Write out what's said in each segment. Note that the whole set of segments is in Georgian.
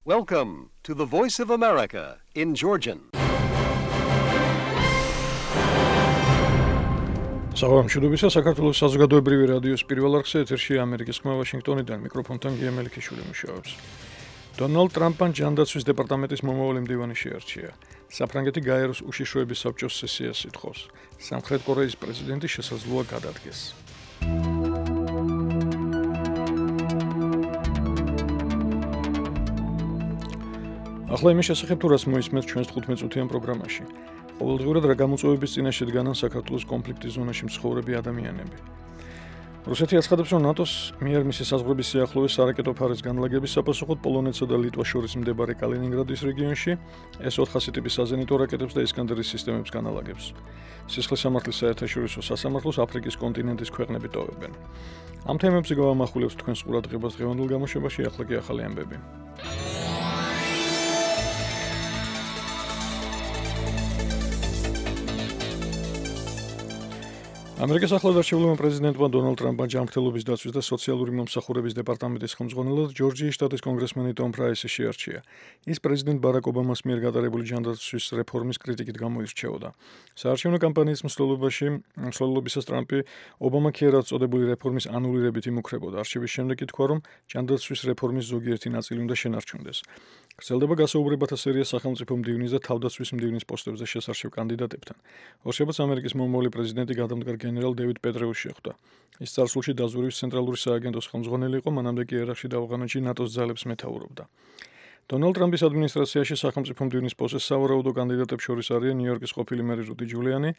Welcome to the Voice of America in Georgian. Საღამოშუდობისა საქართველოს საზოგადოებრივი რადიოს პირველ არხზე ეთერში ამერიკის ხმა ვაშინგტონიდან მიკროფონთან გია მელიქიშვილი მუშაობს. დონალდ ტრამპმა ჯანდაცვის დეპარტამენტის მომავალი მდივანი შეარჩია. საფრანგეთი გაეროს უშიშროების საბჭოს სესიას ითხოვს. სამხრეთ კორეის პრეზიდენტი შესაძლოა გადადგეს. ახლა იმის შესახებ თუ რას მოისმენთ ჩვენს 15-წუთიან პროგრამაში. ყოველდღიურად რა გამოწვევების წინაშე დგანან საქართველოს კონფლიქტის ზონაში მცხოვრები ადამიანები. რუსეთი აცხადებს, რომ ნატოს მიერ მისი საზღვრების სიახლოვეს სარაკეტო ფარის განლაგების საპასუხოდ პოლონეთსა და ლიტვას შორის მდებარე კალინინგრადის რეგიონში S-400 ტიპის საზენიტო რაკეტებს და ისკანდერის სისტემებს განალაგებს. სისხლის სამართლის საერთაშორისო სასამართლოს აფრიკის კონტინენტის ქვეყნები ტოვებენ. ამ თემებზე გავამახვილებთ თქვენს ყურადღებას დღევანდელ გამოშვებაში, ახლა კი ახალი ამბები. ამერიკის ახლად არჩევლებმა პრეზიდენტმა დონალდ ტრამპმა ჯანმრთელობის დაცვის და სოციალური მომსახურების დეპარტამენტის ხელმძღვანელად ჯორჯიის შტატის კონგრესმენი ტომ პრაისი შეარჩია. ის პრეზიდენტ ბარაკ ობამას მიერ გატარებული ჯანდაცვის რეფორმის კრიტიკით გამოირჩეოდა. საარჩევნო კამპანიის მსვლელობისას ტრამპი ობამა ქიერად წოდებული რეფორმის ანულირებით იმუქრებოდა. არჩევის შემდეგ კი თქვა, რომ ჯანდაცვის რეფორმის ზოგიერთი ნაწილი უნდა შენარჩუნდეს. გრძელდება გასაუბრებათა სერია სახელმწიფო მდივნის და თავდაცვის მდივნის პოსტებზე შესარჩევ კანდიდატებთან. ორშაბათს ამერიკის მომავალი პრეზიდენტი გადამდგარ გენერალ დევიდ პეტრეუსი შეხვდა. ის წარსულში დაზვერვის ცენტრალური სააგენტოს ხელმძღვანელი იყო, მანამდე კი ერაყში და ავღანეთში ნატოს ძალებს მეთაურობდა. დონალდ ტრამპის ადმინისტრაციაში სახელმწიფო მდივნის პოსტზე სავარაუდო კანდიდატებს შორის არიან ნიუ-იორკის ყოფილი მერი რუდი ჯულიანი,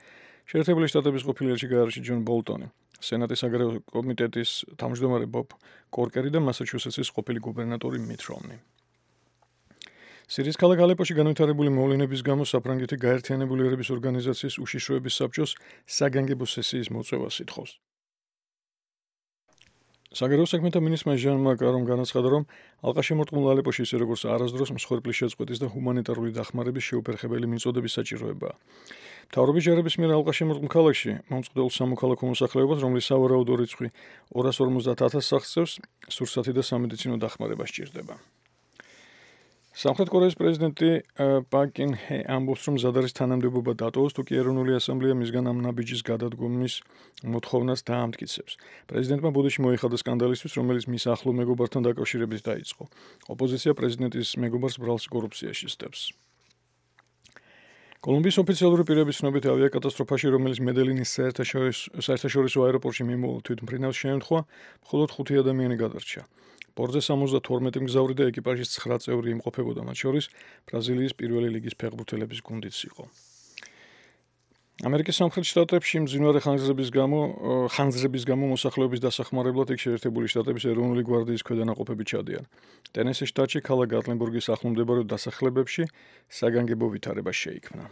შეერთებული შტატების ყოფილი ელჩი გაეროში ჯონ ბოლტონი, სენატის აგრარული კომიტეტის თავმჯდომარე ბობ კორკერი და მასაჩუსეტსის ყოფილი გუბერნატორი მიტ რომნი. სირიის ქალაქ ალეპოში განვითარებული მოვლენების გამო საფრანგეთი გაერთიანებული ერების ორგანიზაციის უშიშროების საბჭოს საგანგებო სესიის მოწევას ითხოვს. საგარეო საქმეთა მინისტრმა ჟან მაკარომ განაცხადა, რომ ალყაშემორტყმულ ალეპოში ისე როგორც არასდროს მსხვერპლის შეწყვეტის და ჰუმანიტარული დახმარების შეუფერხებელი მიწოდების საჭიროებაა. მთავრობის ჯარების მიერ ალყაშემორტყმულ ქალაქში მომწყვდეულ სამოქალაქო მოსახლეობას, რომლის სავარაუდო რიცხვი 250,000 სახს წევს, სურსათი და სამედიცინო დახმარება სჭირდება. სამხრეთ კორეის პრეზიდენტი პაკ კინ ჰე ამბობს, რომ მზად არის თანამდებობა დატოვოს, თუ კი ეროვნული ასამბლეა მისგან ამ ნაბიჯის გადადგომის მოთხოვნას დაამტკიცებს. პრეზიდენტმა ბუდეში მოიხადა სკანდალისთვის, რომელიც მის ახლო მეგობართან დაკავშირებით დაიწყო. ოპოზიცია პრეზიდენტის მეგობარს ბრალს კორუფციაში სდევს. კოლუმბიის ოფიციალური პირების ცნობით ავიაკატასტროფაში, რომელიც მედელინის საერთაშორისო აეროპორტში მიმოვალ თვითმფრინავს შეემთხვა, მხოლოდ 5 ადამიანი გადარჩა. ბორტზე 72 მგზავრი და ეკიპაჟის 9 წევრი იმყოფებოდა, მათ შორის ბრაზილიის პირველი ლიგის ფეხბურთელების გუნდიც იყო. ამერიკის სამხრეთ შტატებში მძინვარე ხანძრების გამო მოსახლეობის დასახმარებლად იქ შეერთებული შტატების ეროვნული გვარდიის ქვედანაყოფები ჩადიან. ტენესის შტატში ქალაქ გატლენბურგის ახლომდებარე დასახლებებში საგანგებო ვითარება შეიქმნა.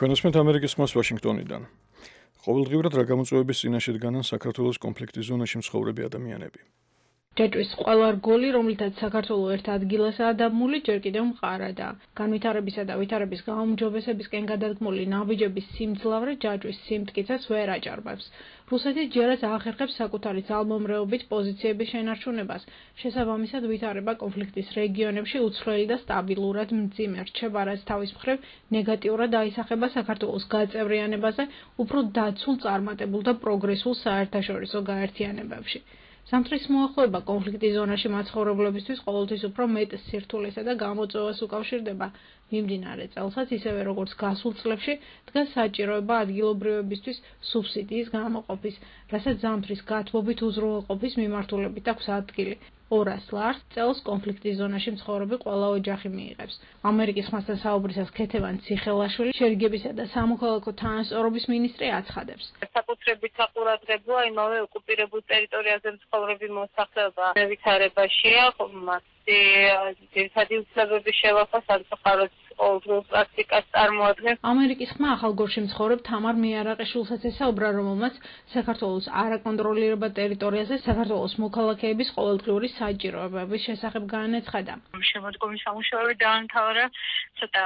თქვენსმენთ ამერიკის ხმას ვაშინგტონიდან. ყოველდღიურად რა გამოწვევების წინაშე დგანან საქართველოს კონფლიქტის ზონაში მცხოვრები ადამიანები. ჯაჭვის ყველა რგოლი, რომლითაც საქართველო ერთ ადგილასაა დამული, ჯერ კიდევ მყარადა. განვითარებისა და ვითარების გაუმჯობესებისკენ გადადგმული ნაბიჯების სიმძლავრე ჯაჭვის სიმტკიცეს ვერ აჭარბებს. რუსეთი ჯერაც აახერხებს საკუთარი ძალმომრეობით პოზიციების შენარჩუნებას. შესაბამისად, ვითარება კონფლიქტის რეგიონებში უცვლელი და სტაბილურად მძიმე რჩება, რაც თავის მხრივ ნეგატიურად აისახება საქართველოს გაწევრიანებაზე, უფრო დაცულ, წარმატებულ და პროგრესულ საერთაშორისო გაერთიანებებში. სამთრის მოახლოება კონფლიქტის ზონაში მაცხოვრებლებისთვის ყოველთვის უფრო მეტ სირთულესა და გამოწვევას უკავშირდება. მიმდინარე წელსაც, ისევე როგორც გასულ წლებში, დგას საჭიროება ადგილობრივებისთვის სუბსიდიის გამოყოფის, რასაც ზამთრის გათბობით უზრუნველყოფის მიმართულებით აქვს ადგილი. 200 ლარს წელს კონფლიქტის ზონაში მცხოვრები ყველა ოჯახი მიიღებს. ამერიკის ხმასთან საუბრისას ქეთევან ციხელაშვილი, შერიგებისა და სამოქალაქო თანასწორობის მინისტრი აცხადებს. საკუთრებით საყურადღებოა იმავე ოკუპირებულ ტერიტორიაზე მცხოვრები მოსახლეობა ვითარებაშია, მასზე ძირითადი უფლებების შევახვა სამწუხაროდ ყოველდღიურ პრაქტიკას წარმოადგენს. ამერიკის ხმა ახალგორში მცხოვრებ თამარ მიარაყიშვილსაც ესაუბრა, რომელმაც საქართველოს არაკონტროლირებად ტერიტორიაზე საქართველოს მოქალაქეების ყოველდღიური საჭიროებების შესახებ განაცხადა. შემოდგომის სამუშაოები დაამთავრა, ცოტა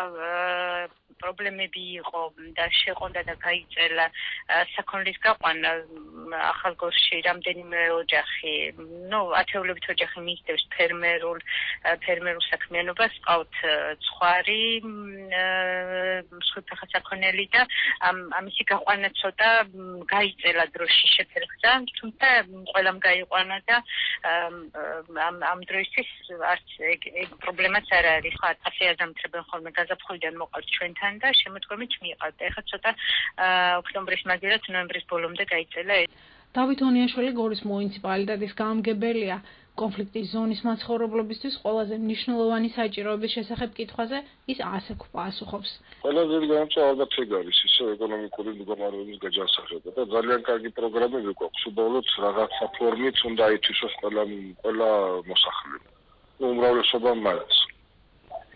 პრობლემები იყო და შეყონდა და გაიწერა საქონლის გაყვანა ახალ გორში რამდენიმე ოჯახი, ათეულობით ოჯახი მისდევს ფერმერულ საქმიანობას, ყავთ ცხვარი, მსხვერპლ საქონელი და ამისი გაყვანა ცოტა გაიწერა დროში შეფერხდა, თუმცა ყველამ გაიყვანა და ამ დროისთვის არც ეგ პრობლემაც არ არის. ასე აზამთრებენ ხოლმე გაზაფხულიდან მოყავთ ჩვენთან და შემოდგომით მიყავთ. ეხლა ცოტა ოქტომბრის მაგერად ნოემბრის ბოლომდე გაიწელა. დავით ონიაშვილი გორის მუნიციპალიტეტის გამგებელია. კონფლიქტის ზონის მაცხოვრებლობისთვის ყველაზე მნიშვნელოვანი საჭიროების შესახებ კითხვაზე ის ასე პასუხობს. ყველაზე განსხვავებული ალბათ ეგ არის ისე ეკონომიკური მდგომარეობის გაჯანსაღება და ძალიან კარგი პროგრამები გვაქვს. უბრალოდ რაღაცა ფორმით უნდა ითვისოს ყველა მოსახლე. უმრავლესობა მაინც.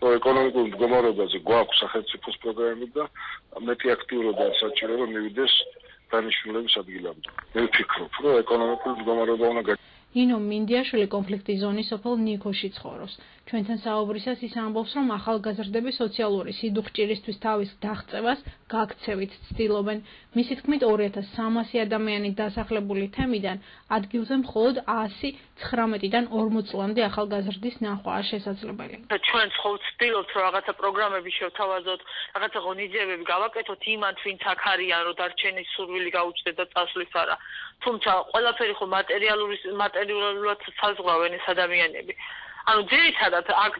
ეკონომიკურ მდგომარეობაზე გვაქვს სახელმწიფოს პროგრამები და მეტი აქტიურობა საჭირო რომ მივიდეს დანიშნულების ადგილამდე. მე ვფიქრობ, რომ ეკონომიკური მდგომარეობა უნდა ინო მინდიაშვილი კონფლიქტის ზონის სოფელ ნიქოში ცხოვრობს. ჩვენთან საუბრისას ის ამბობს, რომ ახალგაზრდები სოციალური სიდუხჭირისთვის თავის დაღწევას გაქცევით ცდილობენ. მისი თქმით 2300 ადამიანი დასახლებული თემიდან ადგილზე მხოლოდ 119-დან 40 წლამდე ახალგაზრდის ნახვაა შესაძლებელი. ჩვენ ხო ვცდილობთ, რომ რაღაცა პროგრამები შევთავაზოთ, რაღაცა ღონისძიებები გავაკეთოთ იმათ, ვინც აქ არიან, რომ დარჩენის სურვილი გაუჩნდეთ და წასვლის არა. თუმცა ყველაფერი ხო მატერიალურად საზღვრავენ ეს ადამიანები. ანუ ძირითადად აქ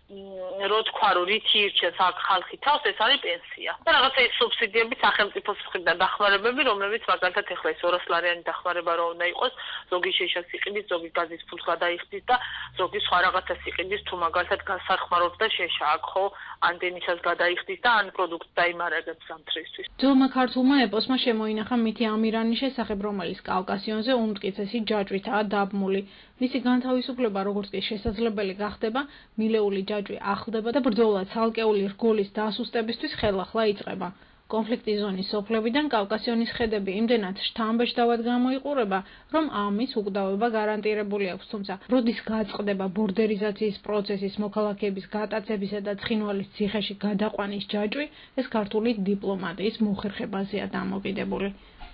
რო თქვა, რომ რითი ირჩევს აქ ხალხი თავს, ეს არის პენსია. და რაღაცა ის სუბსიდიები სახელმწიფოს მხრიდან დახმარებები, რომლებიც მაგალითად ეხლა ეს 200 ლარიანი დახმარება რო უნდა იყოს, ზოგი შეშას იყიდის, ზოგი გაზის ფულს გადაიხდის და ზოგი სხვა რაღაცას იყიდის, თუ მაგალითად გასახმარობს და შეშა აქ ხო ანდენისას გადაიხდის და ან პროდუქტს დაიმარაგებს ზამთრისთვის. ძველმა ქართულმა ეპოსმა შემოინახა მითი ამირანის შესახებ, რომელიც კავკასიონზე უმტკიცესი ჯაჭვითაა დაბმული. მისი განთავისუფლება როგორც კი შესაძლებელი გახდება, მილეული ჯაჭვი ახლდება და ბრძოლა ცალკეული რგოლის დასუსტებისთვის ხელახლა იწყება. კონფლიქტის ზონის სოფლებიდან კავკასიონის ხედები იმდენად შთამბეჭდავად გამოიყურება, რომ ამის უკდავება გარანტირებული აქვს, თუმცა როდის გაწყდება ბორდერიზაციის პროცესის მოქალაქეების გატაცებისა და ცხინვალის ციხეში გადაყვანის ჯაჭვი, ეს ქართული დიპლომატიის მოხერხებაზეა დამოკიდებული.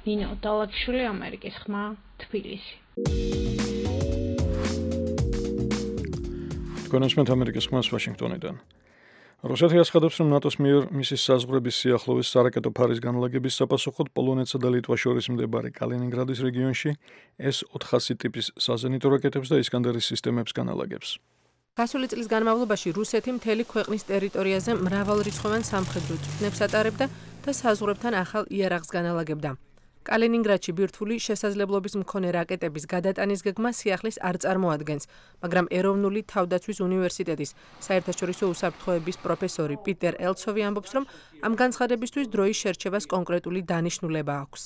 ნინო დალაკიშვილი, ამერიკის ხმა, თბილისი. კონსმეთ ამერიკის ხმას ვაშინგტონიდან. რუსეთი აცხადებს, რომ ნატოს მიერ მისის საზღვრების სიახლოვეს სარაკეტო ფარის განლაგების საპასუხოდ პოლონეთსა და ლიტვას შორის მდებარე კალინინგრადის რეგიონში S-400 ტიპის საზენიტო რაკეტებს და ისკანდერის სისტემებს განალაგებს. გასული წლის განმავლობაში რუსეთი მთელი ქვეყნის ტერიტორიაზე მრავალრიცხოვან სამხედრო წვრთნებს ატარებდა და საზღვრებთან ახალ იარაღს განალაგებდა. კალინინგრადში ბირთვული შესაძლებლობის მქონე რაკეტების გადატანის გეგმა სიახლის არ წარმოადგენს, მაგრამ ეროვნული თავდაცვის უნივერსიტეტის საერთაშორისო უსაფრთხოების პროფესორი პიტერ ელცოვი ამბობს, რომ ამ განცხადებისთვის დროის შერჩევას კონკრეტული დანიშნულება აქვს.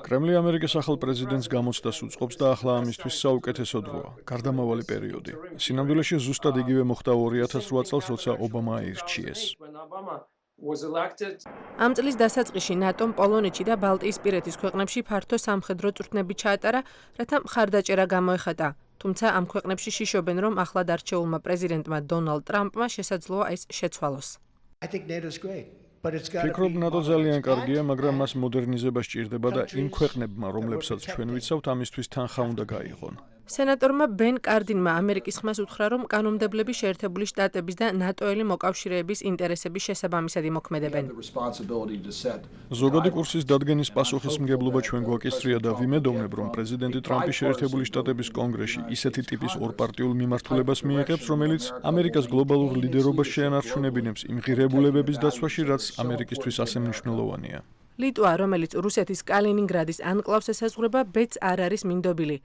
კრემლი ამერიკის ახალ პრეზიდენტს გამოცდას უწყობს და ახლა ამისთვის საუკეთესო დროა, გარდამავალი პერიოდი. სინამდვილეში ზუსტად იგივე მოხდა 2008 წელს, როცა ობამა აირჩიეს. ამ წლის დასაწყისში ნატომ პოლონეთში და ბალტიისპირეთის ქვეყნებში ფართო სამხედრო წვრთნები ჩაატარა, რათა მხარდაჭერა გამოეხატა. თუმცა ამ ქვეყნებში შიშობენ, რომ ახლად არჩეულმა პრეზიდენტმა დონალდ ტრამპმა შესაძლოა ეს შეცვალოს. ფიქრობ, ნატო ძალიან კარგია, მაგრამ მას მოდერნიზება სჭირდება და იმ ქვეყნებმა, რომლებსაც ჩვენ ვიცავთ, ამისთვის თანხა უნდა გაიღონ. სენატორმა ბენ კარდინმა ამერიკის ხმას უთხრა, რომ კანონმდებლები შეერთებული შტატების და ნატოელი მოკავშირეების ინტერესების შესაბამისად იმოქმედებენ. ზოგადი კურსის დადგენის პასუხისმგებლობა ჩვენ გვაკისრია და ვიმედოვნებ, რომ პრეზიდენტი ტრამპი შეერთებული შტატების კონგრესში ისეთი ტიპის ორპარტიულ მიმართულებას მიიღებს, რომელიც ამერიკას გლობალურ ლიდერობას შეანარჩუნებინებს იმ ღირებულებების დაცვაში, რაც ამერიკისთვის ასე მნიშვნელოვანია. ლიტვა, რომელიც რუსეთის კალინინგრადის ანკლავს ესაზღვრება, ბედს არ არის მინდობილი.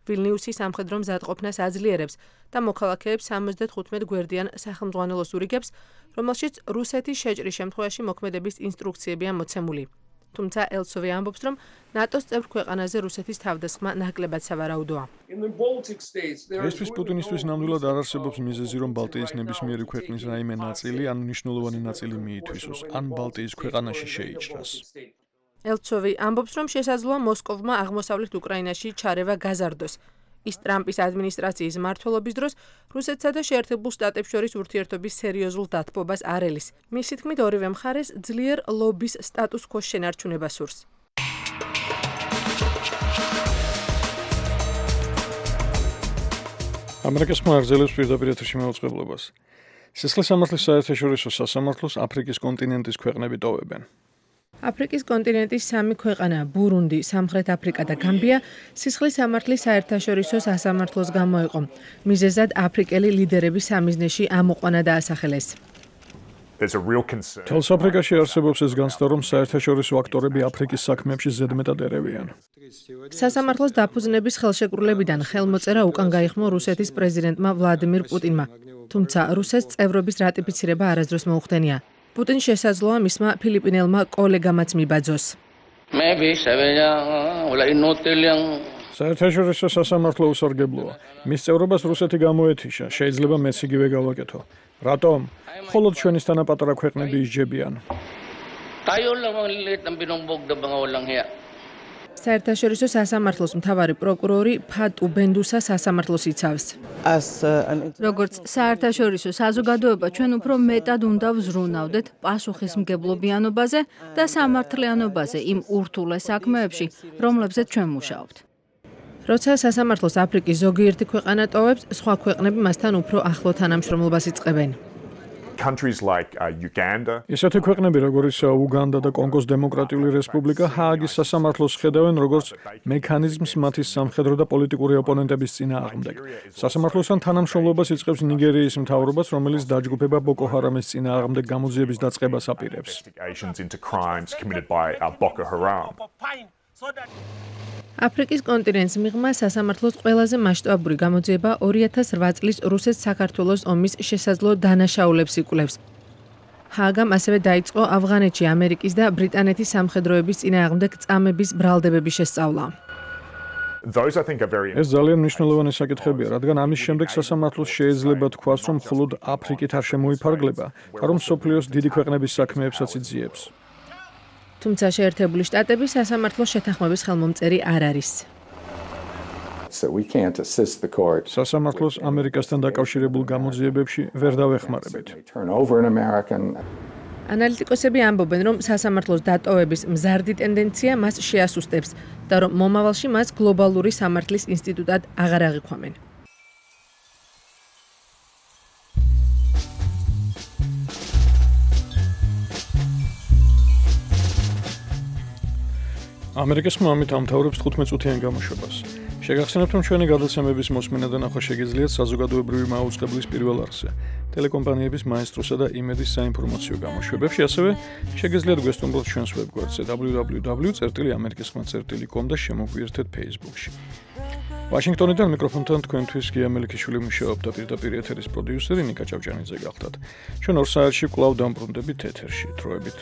ვილნიუსი სამხედრო მზადყოფნას აძლიერებს და მოქალაქეებს 75 გვერდიან სახელმძღვანელოს ურიგებს, რომელშიც რუსეთის შეჭრის შემთხვევაში მოქმედების ინსტრუქციებია მოცემული. თუმცა ელცოვი ამბობს, რომ ნატოს წევრ ქვეყანაზე რუსეთის თავდასხმა ნაკლებად სავარაუდოა. ესთვის პუტინისთვის ნამდვილად არ არსებობს მიზეზი, რომ ბალტიის ნებისმიერი ქვეყნის რაიმე ნაწილი ან მნიშვნელოვანი ნაწილი მიითვისოს, ან ბალტიის ქვეყანაში შეიჭრას. ელცოვი ამბობს, რომ შესაძლოა მოსკოვმა აღმოსავლეთ უკრაინაში ჩარევა გაზარდოს. ის ტრამპის ადმინისტრაციის მმართველობის დროს რუსეთსა და შეერთებულ შტატებს შორის ურთიერთობის სერიოზულ დათბობას არ ელის. მისი თქმით, ორივე მხარეს ძლიერ ლობის სტატუს ქვოს შენარჩუნება სურს. ამერიკის მაღაზიელებს პირდაპირ ეთერში მეუწყებლობას. სისხლის სამართლის საერთაშორისო სასამართლოს აფრიკის კონტინენტის ქვეყნები ტოვებენ. აფრიკის კონტინენტის 3 ქვეყანა ბურუნდი, სამხრეთ აფრიკა და გამბია სისხლის სამართლის საერთაშორისო სასამართლოს გამოიყო. მიზეზად აფრიკელი ლიდერების სამიზნეში ამოყვანა დაასახელეს. თელს აფრიკაში არსებობს ეს განცდა, რომ საერთაშორისო აქტორები აფრიკის საქმეებში ზედმეტად ერევიან. სასამართლოს დაფუძნების ხელშეკრულებიდან ხელმოწერა უკან გაიხმო რუსეთის პრეზიდენტმა ვლადიმირ პუტინმა. თუმცა რუსეთს წევრობის რატიფიცირება არასდროს მოუხდენია. პუტინს შესაძლოა მისმა ფილიპინელმა კოლეგამაც მიბაძოს. საერთაშორისო სასამართლო უსარგებლოა. მის წევრობას რუსეთი გამოეთიშა. შეიძლება მეც იგივე გავაკეთო. რატომ? მხოლოდ ჩვენის თანაპატარა ქვეყნები ისჯებიან. საერთაშორისო სასამართლოს მთავარი პროკურორი ფატუ ბენდუსა სასამართლოს იცავს. როგორც საერთაშორისო საზოგადოება ჩვენ უფრო მეტად უნდა ვზრუნავდეთ პასუხისმგებლობიანობაზე და სამართლიანობაზე იმ ურთულეს საქმეებში, რომლებზეც ჩვენ მუშაობთ. როცა სასამართლოს აფრიკის ზოგიერთი ქვეყანა ტოვებს, სხვა ქვეყნები მასთან უფრო ახლო თანამშრომლობას იწყებენ. ისეთი ქვეყნები, როგორიც უგანდა და კონგოს დემოკრატიული რესპუბლიკა, ჰააგის სასამართლოს ხედავენ როგორც მექანიზმს მათი სამხედრო და პოლიტიკური ოპონენტების წინააღმდეგ. სასამართლოსთან თანამშრომლობას იწყებს ნიგერიის მთავრობაც, რომელიც დაჯგუფება ბოკო ჰარამის წინააღმდეგ გამოძიების დაწყებას აპირებს. აფრიკის კონტინენტს მიღმა სასამართლოს ყველაზე მასშტაბური გამოძიება 2008 წლის რუსეთ-საქართველოს ომის შესაძლო დანაშაულებს იკვლევს. ჰააგამ ასევე დაიწყო ავღანეთში ამერიკის და ბრიტანეთის სამხედროების წინააღმდეგ წამების ბრალდებების შესწავლა. ეს ძალიან მნიშვნელოვანი საკითხებია, რადგან ამის შემდეგ სასამართლოს შეიძლება თქვას, რომ მხოლოდ აფრიკით არ შემოიფარგლება, რომ მსოფლიოს დიდი ქვეყნების საქმეებსაც იძიებს. თუმცა შეერთებული შტატები სასამართლოს შეთანხმების ხელმომწერი არ არის. სასამართლოს ამერიკასთან დაკავშირებულ გამოძიებებში ვერ დავეხმარებით. ანალიტიკოსები ამბობენ, რომ სასამართლოს დატოვების მზარდი ტენდენცია მას შეასუსტებს და რომ მომავალში მას გლობალური სამართლის ინსტიტუტად აღარ აღიქვამენ. ამერიკის ხმამით ამთავრებს 15 წუთიან გამოშვებას. შეგახსენებთ, რომ ჩვენი გადაცემების მოსმენა და ნახვა შეგიძლიათ საზოგადოებრივი მაუწყებლის პირველ არხზე, ტელეკომპანიების მაესტროსა და იმედის საინფორმაციო გამოშვებებში, ასევე შეგიძლიათ გვესტუმროთ ჩვენს ვებგვერდზე www.amerikiskhma.com და შემოგვიერთეთ Facebook-ში. ვაშინგტონიდან მიკროფონთან თქვენთვის გია მელიქიშვილი მუშაობდა, პირდაპირ ეთერის პროდიუსერი ნიკა ჭავჭანიძე გახლდათ. ჩვენ 2 საათში კვლავ დამბრუნდებით ეთერში. დროებით.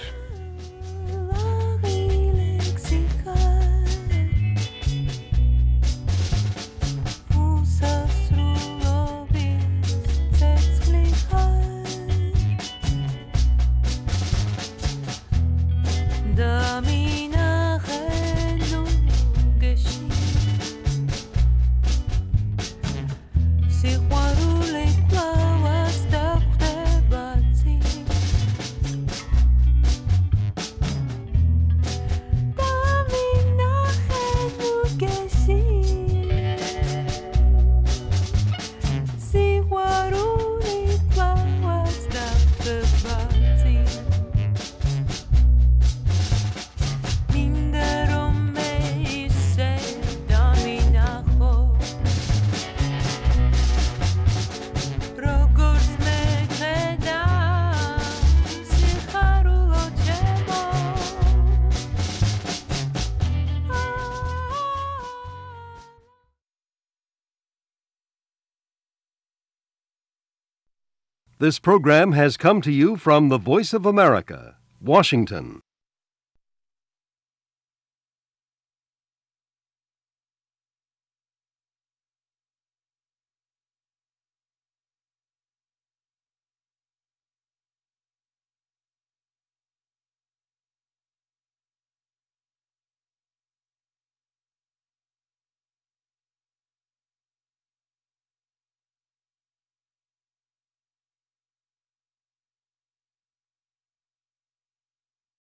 This program has come to you from the Voice of America, Washington.